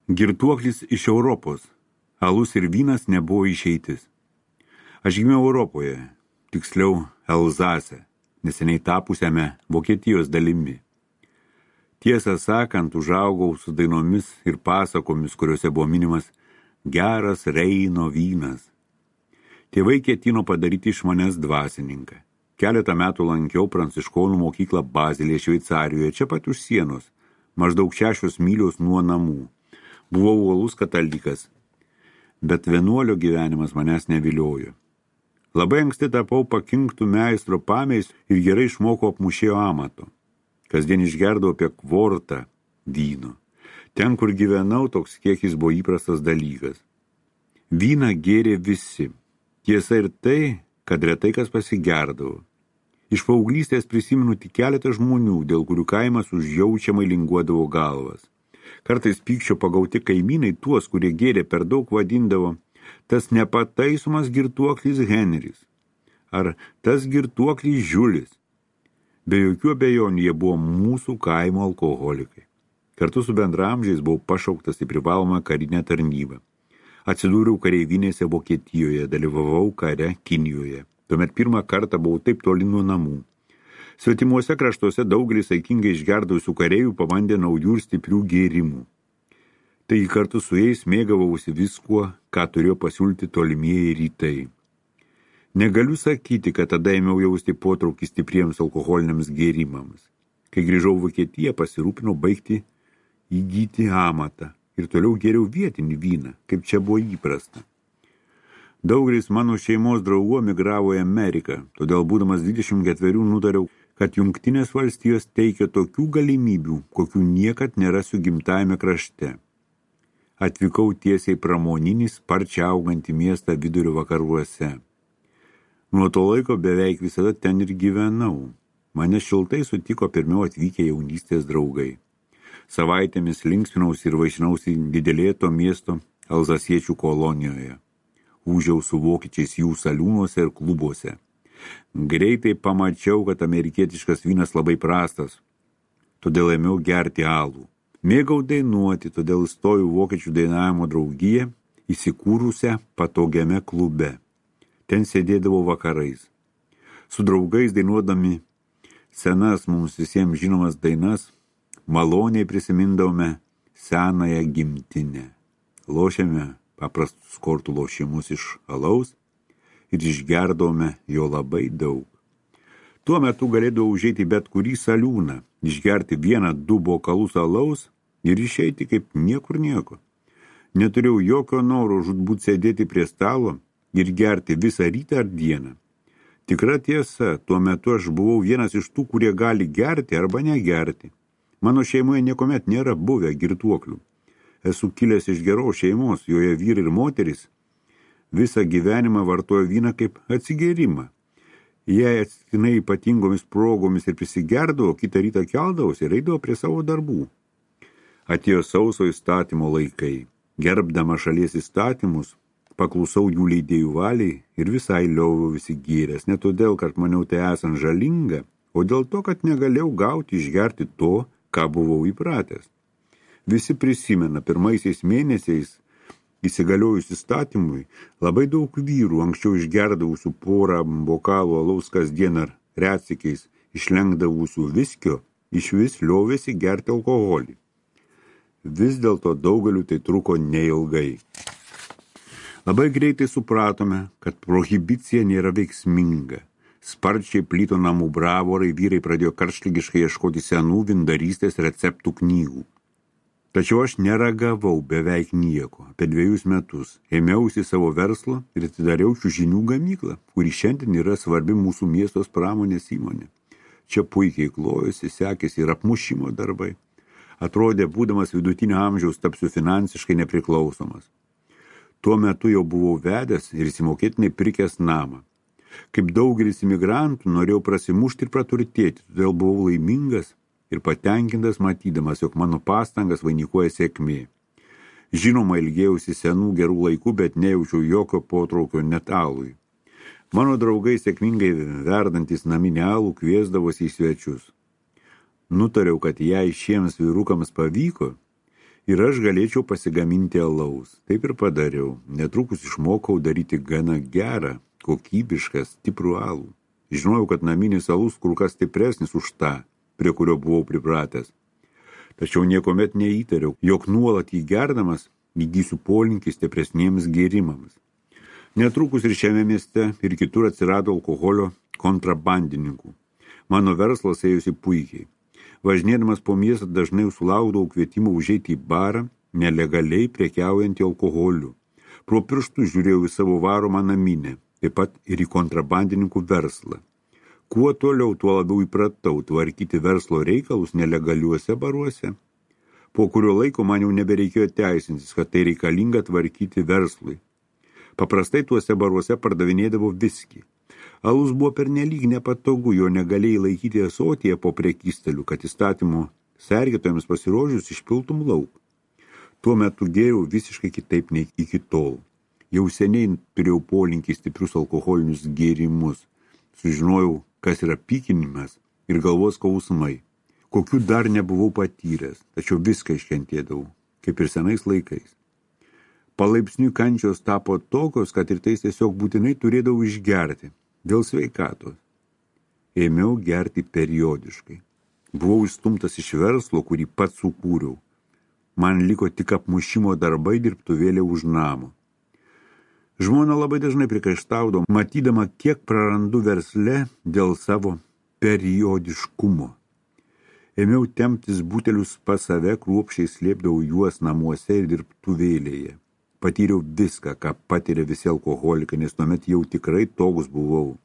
Girtuoklis iš Europos. Alus ir vynas nebuvo išeitis. Aš gimiau Europoje, tiksliau Elzase, neseniai tapusiame Vokietijos dalimi. Tiesą sakant, užaugau su dainomis ir pasakomis, kuriuose buvo minimas geras Reino vynas. Tėvai ketino padaryti iš manęs dvasininką. Keletą metų lankiau pranciškonų mokyklą Bazilėje, Šveicarijoje, čia pat už sienos, maždaug 6 mylios nuo namų. Buvau uolus katalikas, bet vienuolio gyvenimas manęs neviliojo. Labai anksti tapau pakinktų meistro pameis ir gerai išmokau apmušėjo amato. Kasdien išgerdavau apie kvortą vyno. Ten, kur gyvenau, toks kiekis buvo įprastas dalykas. Vyną gėrė visi. Tiesa ir tai, kad retai kas pasigerdavo. Iš paauglystės prisimenu tik keletą žmonių, dėl kurių kaimas užjaučiamai linguodavo galvas. Kartais pykčio pagauti kaimynai tuos, kurie gėrė per daug, vadindavo tas nepataisomas girtuoklis Henris ar tas girtuoklis Žiulis. Be jokių abejonių jie buvo mūsų kaimo alkoholikai. Kartu su bendramžiais buvau pašauktas į privalomą karinę tarnybą. Atsidūriau kareivinėse Vokietijoje, dalyvavau kare Kinijoje. Tuomet pirmą kartą buvau taip toli nuo namų. Svetimuose kraštuose daugelis saikingai išgerdusių kareivių pabandė naujų ir stiprių gėrimų. Taigi kartu su jais mėgavausi viskuo, ką turėjo pasiūlyti tolimieji rytai. Negaliu sakyti, kad tada ėmiau jausti potraukį stipriems alkoholiniams gėrimams. Kai grįžau Vokietiją, pasirūpinau baigti įgyti amatą ir toliau gėriau vietinį vyną, kaip čia buvo įprasta. Daugelis mano šeimos draugų emigravo į Ameriką, todėl būdamas 24 nutariau, kad Jungtinės valstijos teikia tokių galimybių, kokių niekad nerasiu gimtajame krašte. Atvykau tiesiai pramoninį sparčiai augantį miestą vidurio vakaruose. Nuo to laiko beveik visada ten ir gyvenau. Mane šiltai sutiko pirmiau atvykę jaunystės draugai. Savaitėmis linksminausi ir vaišinausi didelėje to miesto Alzasiečių kolonijoje. Ūžiau su vokiečiais jų saliūnuose ir klubuose. Greitai pamačiau, kad amerikietiškas vynas labai prastas, todėl ėmiau gerti alų. Mėgau dainuoti, todėl įstojau vokiečių dainavimo draugiją, įsikūrusią patogiame klube. Ten sėdėdavau vakarais. Su draugais dainuodami senas mums visiems žinomas dainas, maloniai prisimindavome senąją gimtinę. Lošėme paprastus kortų lošimus iš alaus ir išgerdavome jo labai daug. Tuo metu galėdavau užeiti bet kurį saliūną, išgerti 1-2 bokalus alaus ir išeiti kaip niekur nieko. Neturėjau jokio noro žūtbūt sėdėti prie stalo ir gerti visą rytą ar dieną. Tikra tiesa, tuo metu aš buvau vienas iš tų, kurie gali gerti arba negerti. Mano šeimoje niekuomet nėra buvę girtuoklių. Esu kilęs iš geros šeimos, joje vyrai ir moteris visą gyvenimą vartojo vyną kaip atsigėrimą. Jei atsitiktinai ypatingomis progomis ir prisigerdavo, kitą rytą keldavosi ir eidavo prie savo darbų. Atėjo sauso įstatymo laikai. Gerbdama šalies įstatymus, paklusau jų leidėjų valiai ir visai lioviau visi gėręs, ne todėl, kad maniau tai esant žalinga, o dėl to, kad negalėjau gauti išgerti to, ką buvau įpratęs. Visi prisimena, pirmaisiais mėnesiais įsigaliojus įstatymui, labai daug vyrų anksčiau išgerdavusių porą bokalų alaus kasdien ar retsykiais išlenkdavusių viskio, išvis liovėsi gerti alkoholį. Vis dėlto daugeliu tai truko neilgai. Labai greitai supratome, kad prohibicija nėra veiksminga. Sparčiai plito namų bravorai, vyrai pradėjo karštligiškai ieškoti senų vindarystės receptų knygų. Tačiau aš neragavau beveik nieko. Apie 2 metus ėmiausi savo verslo ir atidariau čiužinių gamyklą, kuri šiandien yra svarbi mūsų miestos pramonės įmonė. Čia puikiai klojosi, sekėsi ir apmušimo darbai. Atrodė, būdamas vidutinio amžiaus, tapsiu finansiškai nepriklausomas. Tuo metu jau buvau vedęs ir įsimokėtinai pirkęs namą. Kaip daugelis imigrantų, norėjau prasimušti ir praturtėti, todėl buvau laimingas ir patenkintas matydamas, jog mano pastangas vainikuoja sėkmė. Žinoma, ilgėjausi senų gerų laikų, bet nejaučiau jokio potraukio net alui. Mano draugai sėkmingai verdantis naminį alų kviesdavosi į svečius. Nutariau, kad jei šiems vyrukams pavyko, ir aš galėčiau pasigaminti alaus. Taip ir padariau. Netrukus išmokau daryti gana gerą, kokybišką, stiprų alų. Žinojau, kad naminis alus kur kas stipresnis už tą, prie kurio buvau pripratęs. Tačiau niekomet neįtariau, jog nuolat jį gerdamas įgysiu polinkį stipresniems gėrimams. Netrukus ir šiame mieste ir kitur atsirado alkoholio kontrabandininkų. Mano verslas ėjusi puikiai. Važinėdamas po miestą dažnai sulaukdavau kvietimų užeiti į barą, nelegaliai prekiaujantį alkoholiu. Pro pirštus žiūrėjau į savo varomą naminę, taip pat ir į kontrabandininkų verslą. Kuo toliau, tuo labiau įpratau tvarkyti verslo reikalus nelegaliuose baruose. Po kurio laiko man jau nebereikėjo teisintis, kad tai reikalinga tvarkyti verslui. Paprastai tuose baruose pardavinėdavo viskį. Alus buvo pernelyg nepatogu, jo negalėjai laikyti ąsotyje po prekystaliu, kad įstatymų sergėtojams pasirodžius išpiltum lauk. Tuo metu gėriau visiškai kitaip nei iki tol. Jau seniai turėjau polinkį stiprius alkoholinius gėrimus. Sužinojau, kas yra pykinimas ir galvos skausmai. Kokių dar nebuvau patyręs, tačiau viską iškentėdavau, kaip ir senais laikais. Palaipsniui kančios tapo tokios, kad ir tai tiesiog būtinai turėdavau išgerti, dėl sveikatos. Ėmiau gerti periodiškai. Buvau išstumtas iš verslo, kurį pats sukūriau. Man liko tik apmušimo darbai dirbtuvėlė už namo. Žmona labai dažnai prikaištaudavo, matydama, kiek prarandu versle dėl savo periodiškumo. Ėmiau temptis butelius pas save, kruopščiai slėpdavau juos namuose ir dirbtuvėlėje. Patyriau viską, ką patiria visi alkoholikai, nes tuomet jau tikrai toks buvau.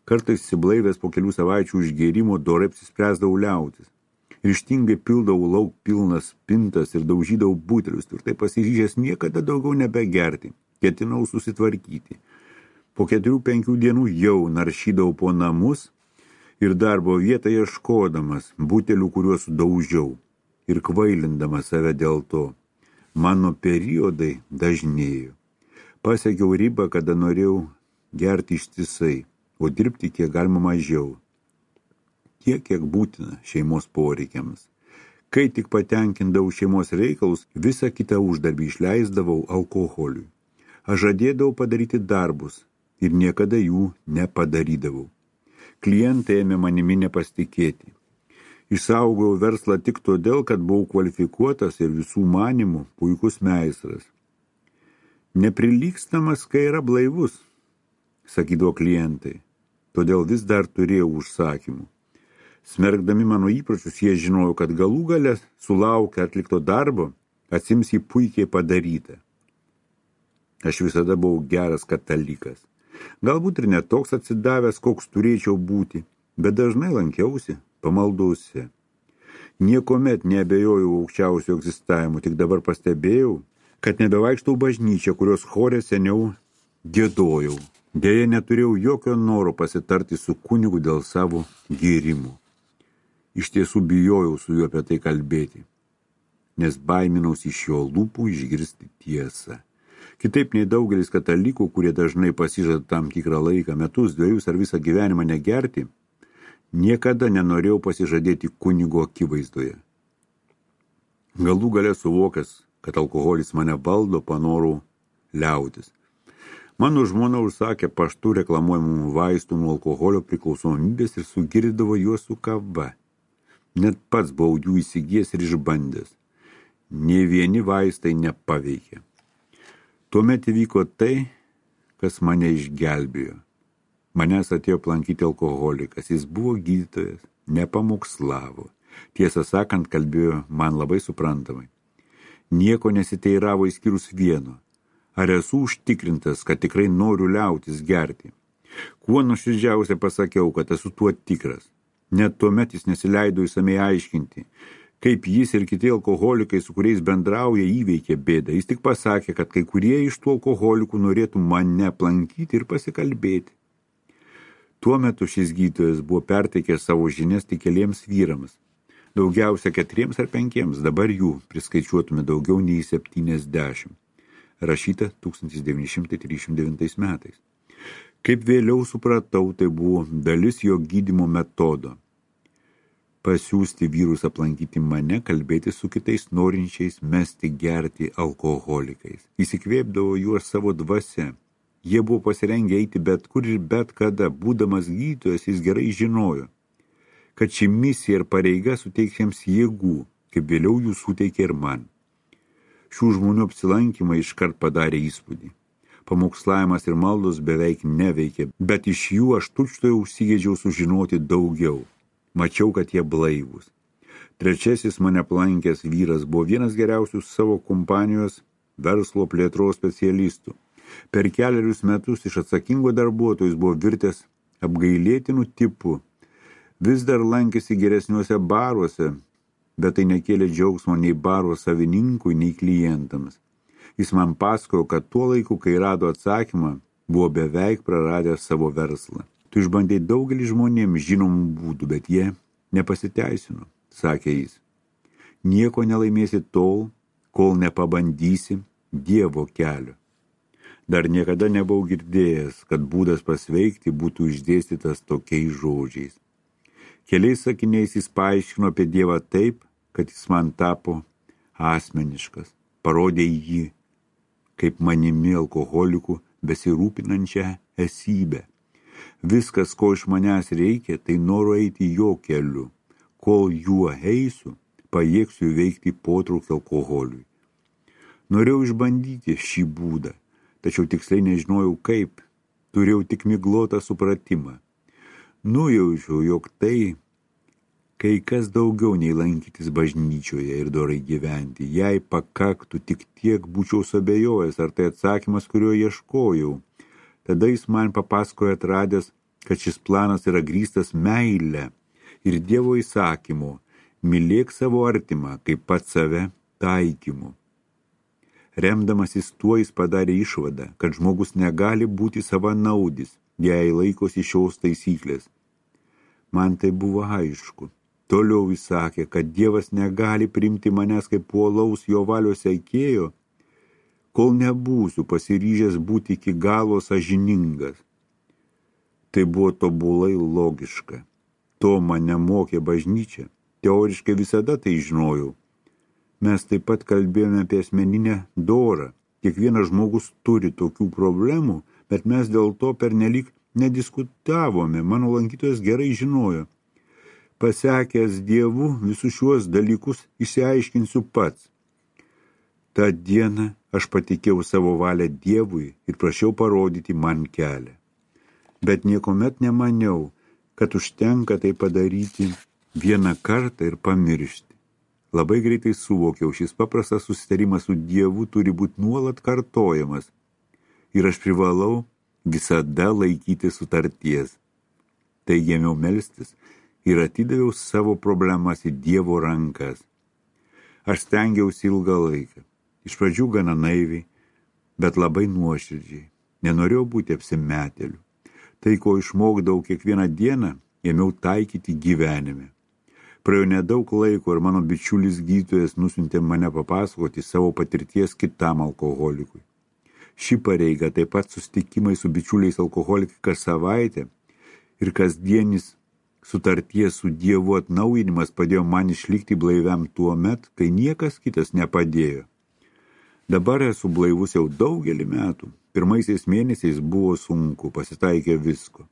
Kartais įsiblaivęs po kelių savaičių užgėrimo dorai apsispręsdavau liautis. Ryžtingai pildavau lauk pilnas pintas ir daužydavau butelius, tvirtai pasiryžęs niekada daugiau nebegerti. Ketinau susitvarkyti. Po 4-5 dienų jau naršydavau po namus ir darbo vietą ieškodamas butelių, kuriuos daužiau ir kvailindamas save dėl to. Mano periodai dažnėjo. Pasiekiau ribą, kada norėjau gerti ištisai, o dirbti kiek galima mažiau. Tiek, kiek būtina šeimos poreikiams. Kai tik patenkindavau šeimos reikalus, visą kitą uždarbį išleisdavau alkoholiui. Aš žadėdavau padaryti darbus ir niekada jų nepadarydavau. Klientai ėmė manimi nepasitikėti. Išsaugojau verslą tik todėl, kad buvau kvalifikuotas ir visų manimų puikus meistras. Neprilygstamas, kai yra blaivus, sakydavo klientai, todėl vis dar turėjau užsakymų. Smerkdami mano įpročius, jie žinojo, kad galų gale sulaukę atlikto darbo, atsims jį puikiai padarytą. Aš visada buvau geras katalikas. Galbūt ir netoks atsidavęs, koks turėčiau būti, bet dažnai lankiausi pamaldose. Niekomet neabejojau aukščiausio egzistavimu, tik dabar pastebėjau, kad nebevaikštau bažnyčią, kurios chore seniau giedojau. Deja, neturėjau jokio noro pasitarti su kunigu dėl savo gėrimų. Iš tiesų bijojau su juo apie tai kalbėti, nes baiminausi iš jo lūpų išgirsti tiesą. Kitaip nei daugelis katalikų, kurie dažnai pasižada tam tikrą laiką, metus, 2 ar visą gyvenimą negerti, niekada nenorėjau pasižadėti kunigo akivaizdoje. Galų gale suvokęs, kad alkoholis mane valdo, panorau liautis. Mano žmona užsakė paštu reklamuojamų vaistų nuo alkoholio priklausomybės ir sugirdavo juos su kava. Net pats buvau jų įsigijęs ir išbandęs. Nė vieni vaistai nepaveikė. Tuomet įvyko tai, kas mane išgelbėjo. Manęs atėjo aplankyti alkoholikas, jis buvo gydytojas, nepamokslavo. Tiesą sakant, kalbėjo man labai suprantamai. Nieko nesiteiravo išskyrus vieno. Ar esu užtikrintas, kad tikrai noriu liautis gerti? Kuo nuoširdžiausiai pasakiau, kad esu tuo tikras. Net tuomet jis nesileido išsamei aiškinti, kaip jis ir kiti alkoholikai, su kuriais bendrauja, įveikė bėdą. Jis tik pasakė, kad kai kurie iš tų alkoholikų norėtų mane aplankyti ir pasikalbėti. Tuo metu šis gydytojas buvo perteikęs savo žinias tik keliems vyrams. Daugiausia 4 ar 5, dabar jų priskaičiuotume daugiau nei 70. Rašyta 1939 metais. Kaip vėliau supratau, tai buvo dalis jo gydymo metodo. pasiųsti vyrus aplankyti mane, kalbėti su kitais norinčiais mesti gerti alkoholikais. Įsikvėpdavo juos savo dvasia. Jie buvo pasirengę eiti bet kur ir bet kada. Būdamas gydytojas, jis gerai žinojo, kad ši misija ir pareiga suteiks jiems jėgų, kaip vėliau jų suteikė ir man. Šių žmonių apsilankymai iškart padarė įspūdį. Pamokslavimas ir maldos beveik neveikė, bet iš jų aš tučtuojau užsigėdžiau sužinoti daugiau. Mačiau, kad jie blaivūs. Trečiasis mane aplankęs vyras buvo vienas geriausių savo kompanijos verslo plėtros specialistų. Per 4 metus iš atsakingo darbuotojus buvo virtęs apgailėtinų tipų. Vis dar lankėsi geresniuose baruose, bet tai nekėlė džiaugsmo nei baro savininkui, nei klientams. Jis man pasakojo, kad tuo laiku, kai rado atsakymą, buvo beveik praradęs savo verslą. Tu išbandei daugelį žmonėms žinomų būdų, bet jie nepasiteisino, sakė jis. Nieko nelaimėsi tol, kol nepabandysi Dievo kelio. Dar niekada nebuvau girdėjęs, kad būdas pasveikti būtų išdėstytas tokiais žodžiais. Keliais sakiniais jis paaiškino apie Dievą taip, kad jis man tapo asmeniškas, parodė jį kaip manimi alkoholikų besirūpinančią esybę. Viskas, ko iš manęs reikia, tai noro eiti jo keliu. Kol juo eisiu, pajėgsiu veikti potraukį alkoholiui. Norėjau išbandyti šį būdą, tačiau tiksliai nežinojau kaip. Turėjau tik miglotą supratimą. Nujaučiau, jog tai kai kas daugiau nei lankytis bažnyčioje ir dorai gyventi. Jei pakaktų, tik tiek būčiau suabejojęs, ar tai atsakymas, kurio ieškojau. Tada jis man papasakojo atradęs, kad šis planas yra grįstas meile ir Dievo įsakymu, mylėk savo artimą, kaip pats save taikymu. Remdamasis tuo jis padarė išvadą, kad žmogus negali būti savanaudis, jei laikosi šios taisyklės. Man tai buvo aišku. Toliau jis sakė, kad Dievas negali priimti manęs kaip puolaus jo valios sekėjo, kol nebūsiu pasiryžęs būti iki galo sąžiningas. Tai buvo tobulai logiška. To mane mokė bažnyčia. Teoriškai visada tai žinojau. Mes taip pat kalbėjome apie asmeninę dorą. Kiekvienas žmogus turi tokių problemų, bet mes dėl to pernelyg nediskutavome. Mano lankytojas gerai žinojo. Pasekęs Dievu, visus šiuos dalykus išsiaiškinsiu pats. Ta diena aš patikėjau savo valią Dievui ir prašiau parodyti man kelią. Bet niekuomet nemaniau, kad užtenka tai padaryti vieną kartą ir pamiršti. Labai greitai suvokiau, šis paprastas susitarimas su Dievu turi būti nuolat kartojamas ir aš privalau visada laikyti sutarties. Taigi ėmiau melstis ir atidaviau savo problemas į Dievo rankas. Aš stengiausi ilgą laiką. Iš pradžių gana naiviai, bet labai nuoširdžiai. Nenorėjau būti apsimetėliu. Tai, ko išmokdavau kiekvieną dieną, ėmiau taikyti gyvenime. Praėjo nedaug laiko ir mano bičiulis gydytojas nusiuntė mane papasakoti savo patirties kitam alkoholikui. Ši pareiga, taip pat susitikimai su bičiuliais alkoholikai kas savaitę ir kasdienis sutarties su Dievu atnaujinimas padėjo man išlikti blaiviam tuo met, kai niekas kitas nepadėjo. Dabar esu blaivus jau daugelį metų. Pirmaisiais mėnesiais buvo sunku, pasitaikė visko.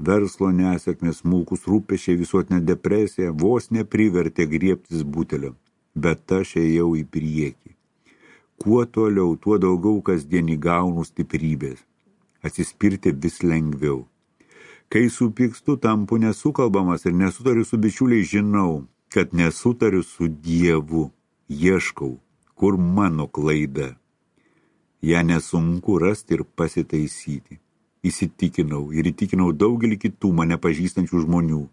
Verslo nesėkmės, smulkus rūpesčiai, visuotinė depresija vos neprivertė griebtis butelio, bet aš ėjau į priekį. Kuo toliau, tuo daugiau kasdien įgaunu stiprybės. Atsispirti vis lengviau. Kai supykstu, tampu nesukalbamas ir nesutariu su bičiuliais, žinau, kad nesutariu su Dievu. Ieškau, kur mano klaida. Ja nesunku rasti ir pasitaisyti. Įsitikinau ir įtikinau daugelį kitų mane pažįstančių žmonių.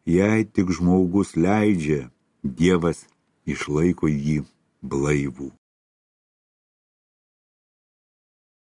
Jei tik žmogus leidžia, Dievas išlaiko jį blaivų.